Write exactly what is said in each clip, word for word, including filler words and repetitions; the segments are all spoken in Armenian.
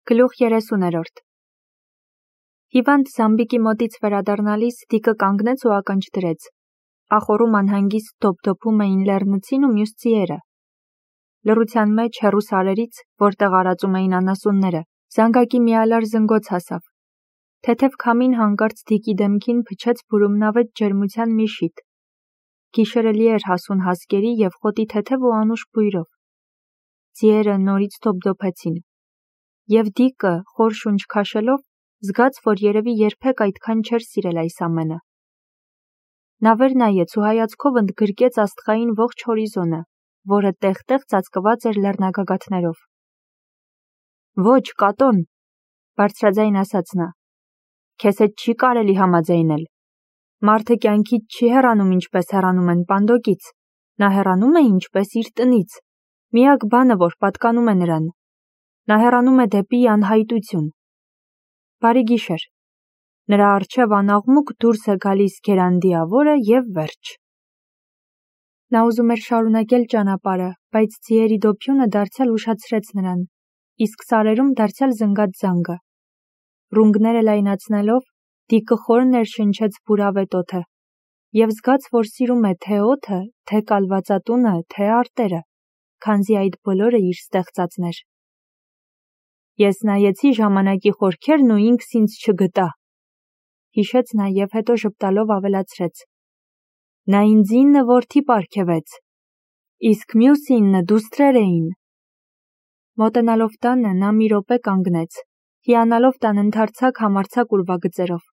Գլուխ երեսուներորդ Հիվանդ Զամբիկի մոտից վերադառնալիս Դիկը կանգնեց ու ականջ դրեց. ախորում անհանգիստ դոփդոփում էին լեռնցին ու մյուս ձիերը։ Լռության մեջ հեռու սարերից, որտեղ արածում էին անասունները, զանգակի միալար զնգոց հասավ։ Թեթև քամին հանկարծ Դիկի դեմքին փչեց բուրումնավետ ջերմության մի շիթ։ Գիշերը լի էր հասուն հասկերի և խոտի թեթև ու անուշ բույրով։ Ձիերը նորից դոփդոփեցին։ Եվ Դիկը, խոր շունչ քաշելով, զգաց, որ երևի երբեք այդքան չէր սիրել այս ամենը։ Նա վեր նայեց ու հայացքով ընդգրկեց աստղային ողջ հորիզոնը, որը տեղ-տեղ ծածկված էր լեռնագագաթներով։ Ոչ, Կատոն, բարձրաձայն ասաց նա, քեզ հետ չի կարելի համաձայնել։ Մարդը կյանքից չի հեռանում ինչպես հեռանում են պանդոկից, նա հեռանում է ինչպես իր տնից, միակ բանը, որ պատկանում է նրան։ Նա հեռանում է դեպի անհայտություն։ Բարի գիշեր։ Նրա առջև անաղմուկ դուրս է գալիս գերանդիավորը և վերջ։ Նա ուզում էր շարունակել ճանապարհը, բայց ձիերի դոփյունը դարձյալ ուշացրեց նրան, իսկ սարերում դարձյալ զնգաց զանգը։ Ռունգները լայնացնելով, Դիկը խոր ներշնչեց բուրավետ օդը և զգաց, որ սիրում է թե օդը, թե կալվածատունը, թե արտերը, քանզի այդ բոլորը իր ստեղծածն էր։ Ես նայեցի ժամանակի խորքերն ու ինքս ինձ չգտա, հիշեց նա և հետո ժպտալով ավելացրեց. Նա ինձ ինը որդի պարգևեց, իսկ մյուս ինը դուստրեր էին։ Մոտենալով տանը նա մի րոպե կանգնեց, հիանալով տան ընդարձակ համարձակ ուրվագծերով։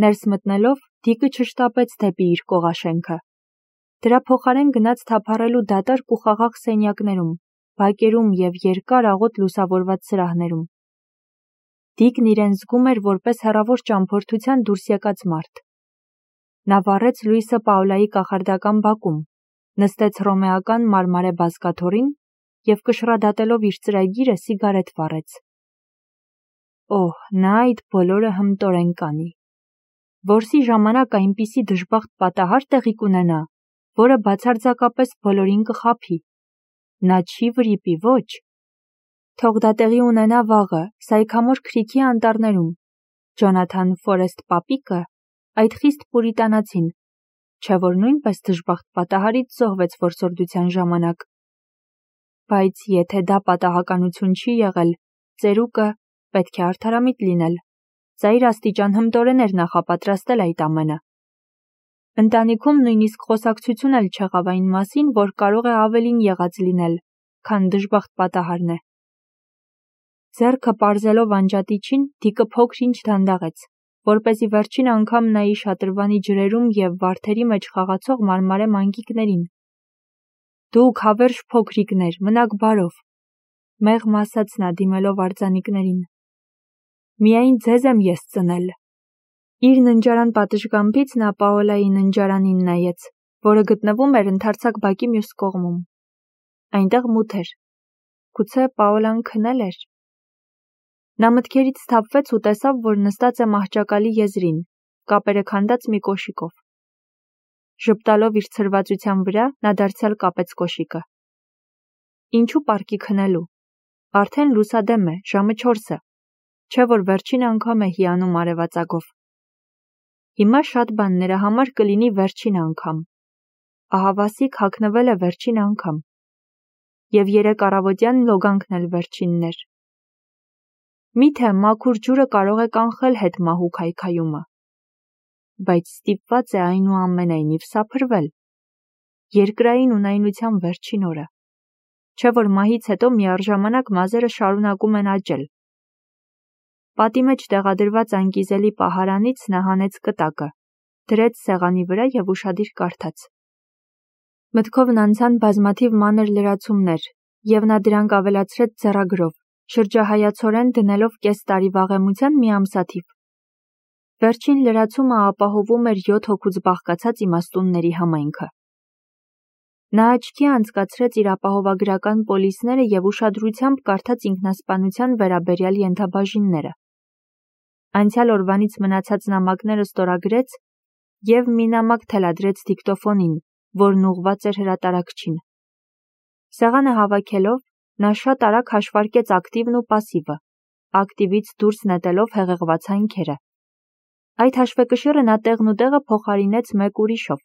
Ներս մտնելով, Դիկը չշտապեց դեպի իր կողաշենքը։ Դրա փոխարեն գնաց թափառելու դատարկ ու խաղաղ սենյակներում, բակերում և երկար աղոտ լուսավորված սրահներում։ Դիկն իրեն զգում էր որպես հեռավոր ճամփորդության դուրս եկած մարդ։ Նա վառեց լույսը Պաուլայի կախարդական բակում, նստեց հռոմեական մարմարե բազկաթոռին և կշռադատելով իր ծրագիրը սիգարետ վառեց։ Օհ, նա այդ բոլորը հմտորեն կանի։ Որսի ժամանակ այնպիսի դժբախտ պատահար տեղի կունենա, որը բացարձակապես բոլորին կխաբի։ Նա չի վրիպի, ոչ։ Թող դա տեղի ունենա վաղը, Սայքամոր Քրիքի անտառներում։ Ջոնաթան Ֆորեսթ պապիկը, այդ խիստ պուրիտանացին, չէ՞ որ նույնպես դժբախտ պատահարից զոհվեց որսորդության ժամանակ։ Բայց եթե դա պատահականություն չի եղել, ծերուկը պետք է արդարամիտ լինել, ծայր աստիճան հմտորեն էր նախապատրաստել այդ ամենը։ Ընտանիքում նույնիսկ խոսակցություն էլ չեղավ այն մասին, որ կարող է ավելին եղած լինել, քան դժբախտ պատահարն է։ Ձեռքը պարզելով անջատիչին, Դիկը փոքր-ինչ դանդաղեց, որպեսզի վերջին անգամ նայի շատրվանի ջրերում և վարդերի մեջ խաղացող մարմարե մանկիկներին։ Դուք հավերժ փոքրիկներ, մնաք բարով, մեղմ ասաց նա դիմելով արձանիկներին։ Միայն ձեզ եմ ես ծնել։ Իր ննջարան պատշգամբից նա Պաոլայի ննջարանին նայեց, որը գտնվում էր ընդարձակ բակի մյուս կողմում։ Այնտեղ մութ էր։ Գուցե Պաոլան քնել էր։ Նա մտքերից սթափվեց ու տեսավ, որ նստած է մահճակալի եզրին, կապերը քանդած մի կոշիկով։ Ժպտալով իր ցրվածության վրա, նա դարձյալ կապեց կոշիկը։ Ինչու պարկի քնելու։ Արդեն լուսադեմ է, ժամը չորսը, չէ՞ որ վերջին անգամ է հիանում արևածագով։ Հիմա շատ բան նրա համար կլինի վերջին անգամ։ Ահավասիկ հագնվել է վերջին անգամ։ Եվ երեկ առավոտյան լոգանքն էլ վերջինն էր։ Միթե մաքուր ջուրը կարող է կանխել հետմահու քայքայումը։ Բայց ստիպված է այնուամենայնիվ սափրվել։ Երկրային ունայնության վերջին օրը։ Չէ՞ որ մահից հետո միառժամանակ մազերը շարունակում են աճել։ Պատի մեջ տեղադրված անկիզելի պահարանից նա հանեց կտակը, դրեց սեղանի վրա և ուշադիր կարդաց։ Մտքովն անցան բազմաթիվ մանր լրացումներ, և նա դրանք ավելացրեց ձեռագրով, շրջահայացորեն դնելով կես տարի վաղեմության մի ամսաթիվ։ Վերջին լրացումը ապահովում էր յոթ հոգուց բաղկացած իմաստունների համայնքը։ Նա աչքի անցկացրեց իր ապահովագրական պոլիսները և ուշադրությամբ կարդաց ինքնասպանության վերաբերյալ ենթաբաժինները։ Անցյալ օրվանից մնացած նամակները ստորագրեց և մի նամակ թելադրեց դիկտոֆոնին, որն ուղղված էր հրատարակչին։ Սեղանը հավաքելով, Նա շատ արագ հաշվարկեց ակտիվն ու պասիվը, ակտիվից դուրս նետելով հեղեղված հանքերը։ Այդ հաշվեկշիռը նա տեղն ու տեղը փոխարինեց մեկ ուրիշով,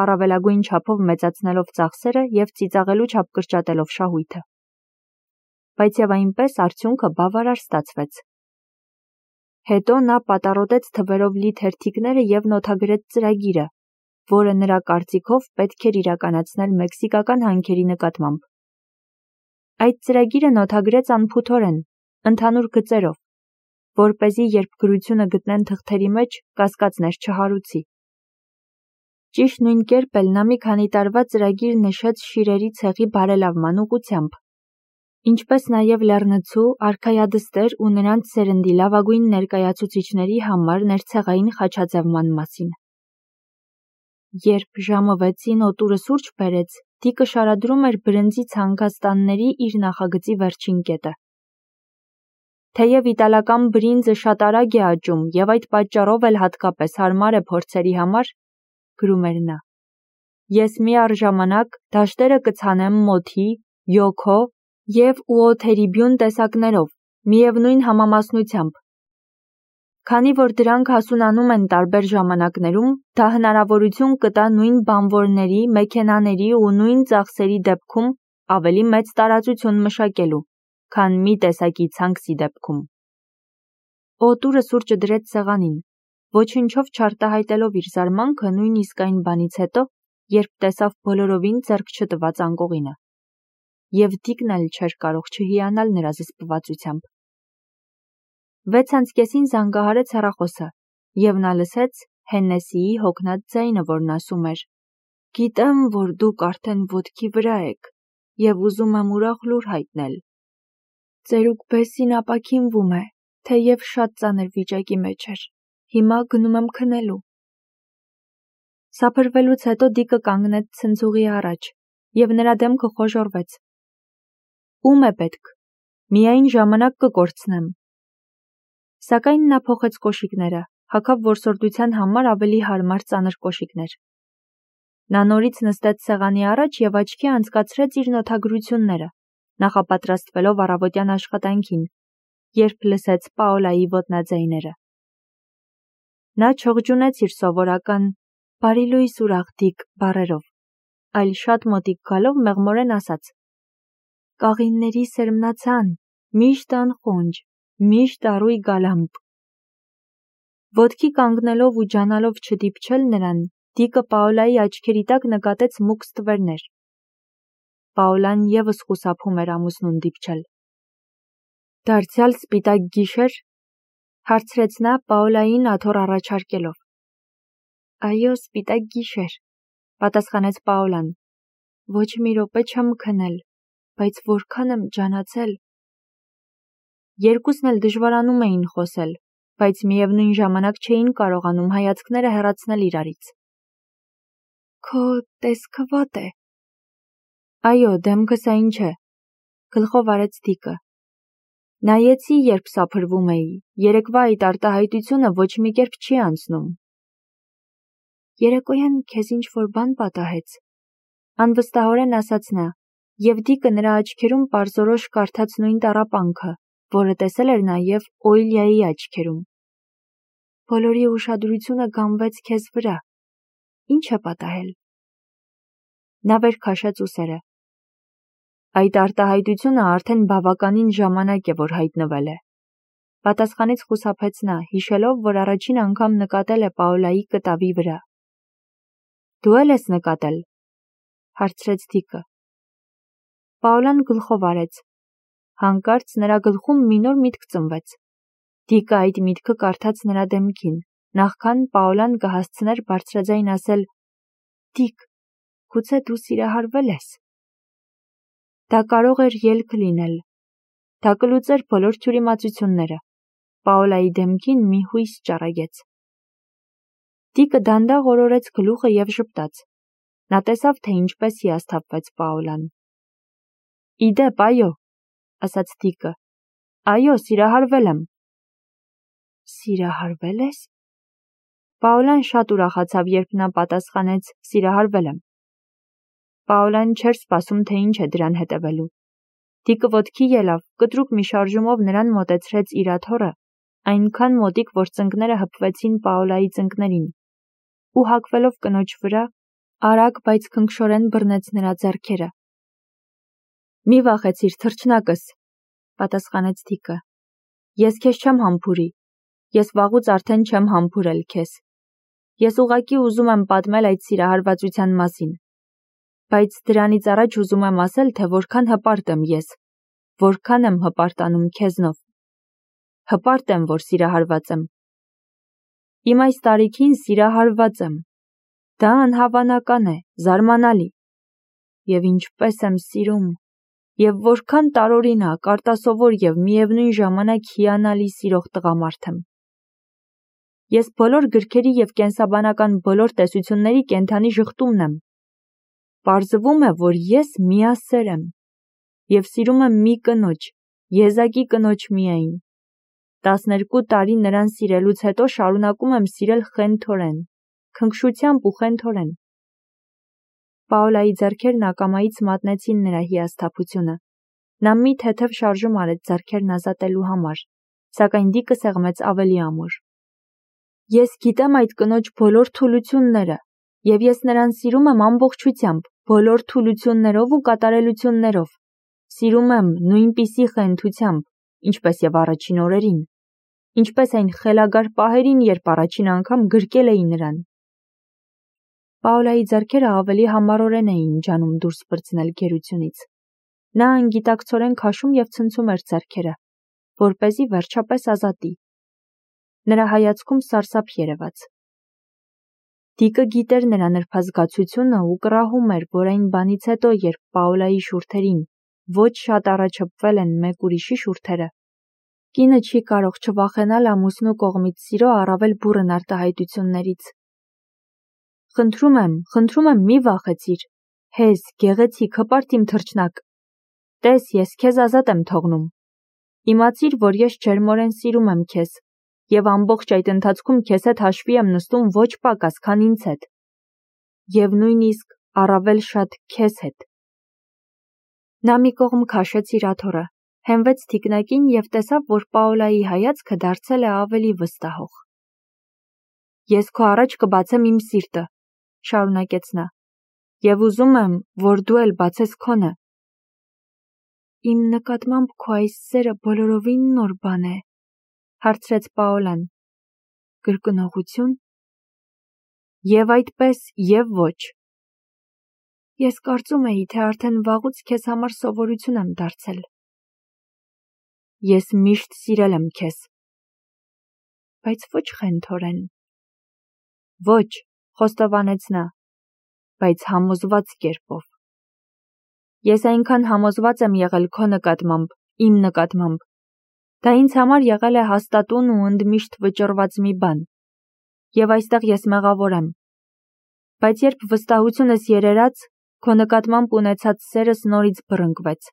առավելագույն չափով մեծացնելով ծախսերը և ծիծաղելու չափ կրճատելով շահույթը։ Բայց և այնպես արդյունքը բավարար ստացվեց։ Հետո նա պատառոտեց թվերով լի թերթիկները և նոթագրեց ծրագիրը, որը նրա կարծիքով պետք էր իրականացնել մեքսիկական հանքերի նկատմամբ։ Այդ ծրագիրը նոթագրեց անփութորեն, ընդհանուր գծերով, որպեսզի երբ գրությունը գտնեն թղթերի մեջ, կասկածներ չհարուցի։ Ճիշտ նույն կերպ էլ նա մի քանի տարվա ծրագիր նշեց շիրերի ցեղի բարելավման ուղղությամբ, ինչպես նաև լեռնցու, արքայադստեր ու նրանց սերնդի լավագույն ներկայացուցիչների համար ներցեղային խաչաձևման մասին։ Երբ ժամը վեցին օտուրը սուրճ բերեց, Դիկը շարադրում էր բրնձի ցանկաստանների իր նախագծի վերջին կետը։ Թեև իտալական բրինձը շատ արագ է աճում և այդ պատճառով էլ հատկապես հարմար է փորձերի համար, գրում էր նա, ես միառժամանակ դաշտերը կցանեմ մոթի, յոքո և ուոթերիբյուն տեսակներով, միևնույն համամասնությամբ։ Քանի որ դրանք հասունանում են տարբեր ժամանակներում, դա հնարավորություն կտա նույն բանվորների, մեքենաների ու նույն ծախսերի դեպքում ավելի մեծ տարածություն մշակելու, քան մի տեսակի ցանքսի դեպքում։ Օտուրը սուրճը դրեց սեղանին, ոչնչով չարտահայտելով իր զարմանքը նույնիսկ այն բանից հետո, երբ տեսավ բոլորովին ձեռք չտված անկողինը։ Եվ Դիկն էլ չէր կարող չհիանալ նրա զսպվածությամբ։ Վեց անց կեսին զանգահարեց հեռախոսը, և նա լսեց Հեննեսիի հոգնած ձայնը, որն ասում էր. «Գիտեմ, որ դուք արդեն ոտքի վրա եք, և ուզում եմ ուրախ լուր հայտնել։ Ծերուկ Բեսսին ապաքինվում է, թեև շատ ծանր վիճակի մեջ էր։ Հիմա գնում եմ քնելու»։ Սափրվելուց հետո Դիկը կանգնեց ցնցուղի առաջ, և նրա դեմքը խոժոռվեց։ Ո՞ւմ է պետք։ Միայն ժամանակ կկորցնեմ։ Սակայն նա փոխեց կոշիկները, հագավ որսորդության համար ավելի հարմար ծանր կոշիկներ։ Նա նորից նստեց սեղանի առաջ և աչքի անցկացրեց իր նոթագրությունները, նախապատրաստվելով առավոտյան աշխատանքին, երբ լսեց Պաոլայի ոտնաձայները։ Նա չղջունեց իր սովորական «Բարի լույս ուրախ Դիկ» բառերով, այլ շատ մոտիկ գալով մեղմորեն ասաց. «Կաղինների սերմնացան, միշտ անխոնջ, միշտ առույգ գալամպ»։ Ոտքի կանգնելով ու ջանալով չդիպչել նրան, Դիկը Պաոլայի աչքերի տակ նկատեց մուգ ստվերներ։ Պաոլան ևս խուսափում էր ամուսնուն դիպչել։ «Դարձյալ սպիտակ գիշե՞ր», հարցրեց նա Պաոլային աթոռ առաջարկելով։ «Այո, սպիտակ գիշեր», պատասխանեց Պաոլան։ «Ոչ մի րոպե չեմ քնել, բայց որքան եմ ջանացել»։ Երկուսն էլ դժվարանում էին խոսել, բայց միևնույն ժամանակ չէին կարողանում հայացքները հեռացնել իրարից։ «Քո տեսքը վատ է»։ «Այո, դեմքս այն չէ», գլխով արեց Դիկը։ «Նայեցի, երբ սափրվում էի, երեկվա այդ արտահայտությունը ոչ մի կերպ չի անցնում»։ «Երեկոյան քեզ ինչ-որ բան պատահեց», անվստահորեն ասաց նա, և Դիկը նրա աչքերում պարզորոշ կարդաց նույն տառապանքը, որը տեսել էր նաև Օիլիայի աչքերում։ «Բոլորի ուշադրությունը գամվեց քեզ վրա։ Ինչ է պատահել»։ Նա վեր քաշեց ուսերը։ «Այդ արտահայտությունը արդեն բավականին ժամանակ է, որ հայտնվել է», պատասխանեց խուսափեց նա, հիշելով, որ առաջին անգամ նկատել է Պաոլայի կտավի վրա։ «Դու էլ ես նկատել», հարցրեց Դիկը։ Պաոլան գլխով արեց։ Հանկարծ նրա գլխում մի նոր միտք ծնվեց։ Դիկը այդ միտքը կարդաց նրա դեմքին, նախքան Պաոլան կհասցներ բարձրաձայն ասել. «Դիկ, գուցե դու սիրահարվել ես»։ Դա կարող էր ելք լինել։ Դա կլուծեր բոլոր թյուրիմացությունները։ Պաոլայի դեմքին մի հույս ճառագեց։ Դիկը դանդաղ օրորեց գլուխը և ժպտաց։ Նա տեսավ, թե ինչպես հիասթափվեց Պաոլան։ «Ի դեպ, այո», ասաց Դիկը։ «Այո, սիրահարվել եմ»։ «Սիրահարվել ես»։ Պաոլան շատ ուրախացավ, երբ նա պատասխանեց «սիրահարվել եմ»։ Պաոլան չէր սպասում, թե ինչ է դրան հետևելու։ Տիկը ոտքի ելավ, կտրուկ մի շարժումով նրան մոտեցրեց իր աթոռը, այնքան մոտիկ, որ ծնկները հպվեցին Պաոլայի ծնկներին, ու հագվելով կնոջ վրա, արագ, բայց քնքշորեն բռնեց նրա ձեռքերը։ «Մի վախեցիր, թռչնակս», պատասխանեց Տիկը։ «Ես քեզ չեմ համբուրի, ես վաղուց արդեն չեմ համբուրել քեզ։ Ես ուղղակի ուզում եմ պատմել այդ սիրահարվածության մասին, բայց դրանից առաջ ուզում եմ ասել, թե որքան հպարտ եմ ես, որքան եմ հպարտանում քեզնով։ Հպարտ եմ, որ սիրահարված եմ։ Իմ այս տարիքին սիրահարված եմ։ Դա անհավանական է, զարմանալի։ Եվ ինչպես եմ սիրում, և որքան տարօրինակ, արտասովոր և միևնույն ժամանակ հիանալի սիրող տղամարդ եմ։ Ես բոլոր գրքերի և կենսաբանական բոլոր տեսությունների կենդանի ժխտումն եմ։ Պարզվում է, որ ես միասեր եմ, և սիրում եմ մի կնոջ, եզակի կնոջ միայն։ Տասներկու տարի նրան սիրելուց հետո շարունակում եմ սիրել խենթորեն, քնքշությամբ ու խենթորեն։ Պաոլայի ձեռքերն ակամայից մատնեցին նրա հիասթափությունը։ Նա մի թեթև շարժում արեց ձեռքերն ազատելու համար, սակայն Դիկը սեղմեց ավելի ամուր։ Ես գիտեմ այդ կնոջ բոլոր թուլությունները, և ես նրան սիրում եմ ամբողջությամբ, բոլոր թուլություններով ու կատարելություններով։ Սիրում եմ նույնպիսի խենթությամբ, ինչպես և առաջին օրերին, ինչպես այն խելագար պահերին, երբ առաջին անգամ գրկել էի նրան։ Պաոլայի ձեռքերը ավելի համառորեն էին ջանում դուրս պրծնել գերությունից։ Նա անգիտակցորեն քաշում և ցնցում էր ձեռքերը, որպեսզի վերջապես ազատի։ Նրա հայացքում սարսափ երևաց։ Դիկը գիտեր նրա նրբազգացությունը ու կռահում էր, որ այն բանից հետո, երբ Պաոլայի շուրթերին ոչ շատ առաջ հպվել են մեկ ուրիշի շուրթերը, կինը չի կարող չվախենալ ամուսնու կողմից սիրո առավել բուռն արտահայտություններից։ Խնդրում եմ, խնդրում եմ, մի վախեցիր, հեզ, գեղեցիկ, հպարտ իմ թռչնակ։ Տես, ես քեզ ազատ եմ թողնում։ Իմացիր, որ ես ջերմորեն սիրում եմ քեզ, և ամբողջ այդ ընթացքում քեզ հետ հաշվի եմ նստում ոչ պակաս, քան ինձ հետ, և նույնիսկ առավել շատ քեզ հետ։ Նա մի կողմ քաշեց իր աթոռը, հենվեց թիկնակին և տեսավ, որ Պաոլայի հայացքը դարձել է ավելի վստահող։ Ես քո առաջ կբացեմ իմ սիրտը, շարունակեց նա, և ուզում եմ, որ դու էլ բացես քոնը։ Իմ նկատմամբ քո այս սերը բոլորովին նոր բան է, հարցրեց Պաոլան։ Կրկնողությո՞ւն։ Եվ այդպես, և ոչ։ Ես կարծում էի, թե արդեն վաղուց քեզ համար սովորություն եմ դարձել։ Ես միշտ սիրել եմ քեզ։ Բայց ոչ խենթորեն։ Ոչ, խոստովանեց նա, բայց համոզված կերպով։ Ես այնքան համոզված եմ եղել քո նկատմամբ, իմ նկատմամբ։ Դա ինձ համար եղել է հաստատուն ու ընդմիշտ վճռված մի բան, և այստեղ ես մեղավոր եմ։ Բայց երբ վստահությունս երերաց, քո նկատմամբ ունեցած սերս նորից բռնկվեց։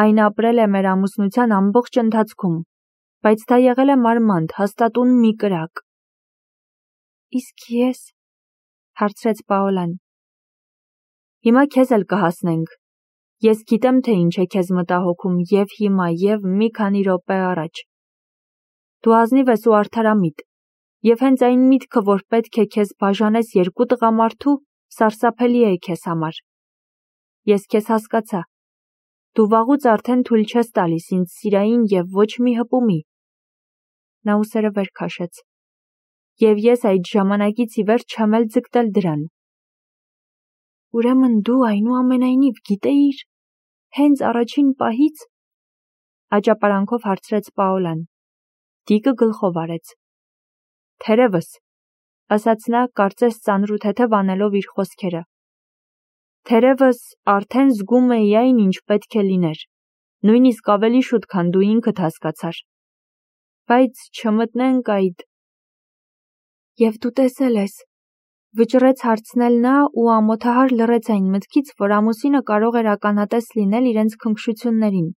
Այն ապրել է մեր ամուսնության ամբողջ ընթացքում, բայց դա եղել է մարմանդ, հաստատուն մի կրակ։ Իսկ ես, հարցրեց Պաոլան։ Հիմա քեզ էլ կհասնենք։ Ես գիտեմ, թե ինչ է քեզ մտահոգում և հիմա, և մի քանի րոպե առաջ։ Դու ազնիվ ես ու արդարամիտ, և հենց այն միտքը, որ պետք է քեզ բաժանես երկու տղամարդու, սարսափելի է քեզ համար։ Ես քեզ հասկացա։ Դու վաղուց արդեն թույլ չես տալիս ինձ սիրային և ոչ մի հպումի։ Նա ուսերը վեր քաշեց։ Եվ ես այդ ժամանակից ի վեր չեմ էլ ձգտել դրան։ Ուրեմն դու այնուամենայնիվ գիտեիր, հենց առաջին պահից, աճապարանքով հարցրեց Պաոլան։ Դիկը գլխով արեց։ Թերևս, ասաց նա, կարծես ծանրութեթև անելով իր խոսքերը։ Թերևս արդեն զգում էի այն, ինչ պետք է լիներ, նույնիսկ ավելի շուտ, քան դու ինքդ հասկացար։ Բայց չմտնենք այդ… Եվ դու տեսել ես, վճռեց հարցնել նա ու ամոթահար լռեց այն մտքից, որ ամուսինը կարող էր ականատես լինել իրենց քնքշություններին։